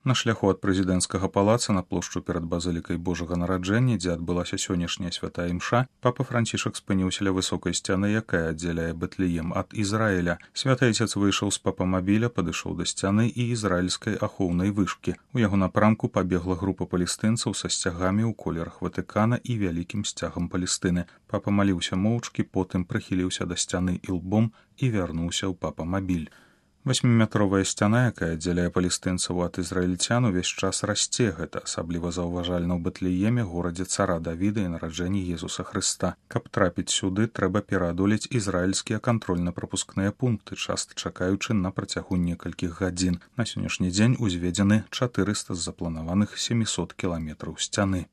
На шляху ад прэзідэнцкага палаца на плошчу перад базылікай Божага нараджэння, дзе адбылася сённяшняя святая імша, папа Францішак спыніўся ля высокай сцяны, якая аддзяляе Бэтлеем ад Ізраіля. Святы айцец выйшаў з папамабіля, падышоў да сцяны і ізраільскай ахоўнай вышкі. У яго напрамку пабегла група палестынцаў са сцягамі ў колерах Ватыкана і вялікім сцягам Палестыны. Папа маліўся моўчкі, потым прыхіліўся да сцяны ілбом і вярнуўся ў папамабіль. 8-метровая сцяна, якая аддзяляе палестынцаў ад ізраільцян, увесь час расце. Гэта асабліва заўважальна ў Бэтлееме, горадзе цара Давіда і нараджэнні Езуса Хрыста. Каб трапіць сюды, трэба пераадолець ізраільскія кантрольна-прапускныя пункты, часта чакаючы на працягу некалькіх гадзін. На сённяшні дзень узведзены 400 з запланаваных 700 кіламетраў сцяны.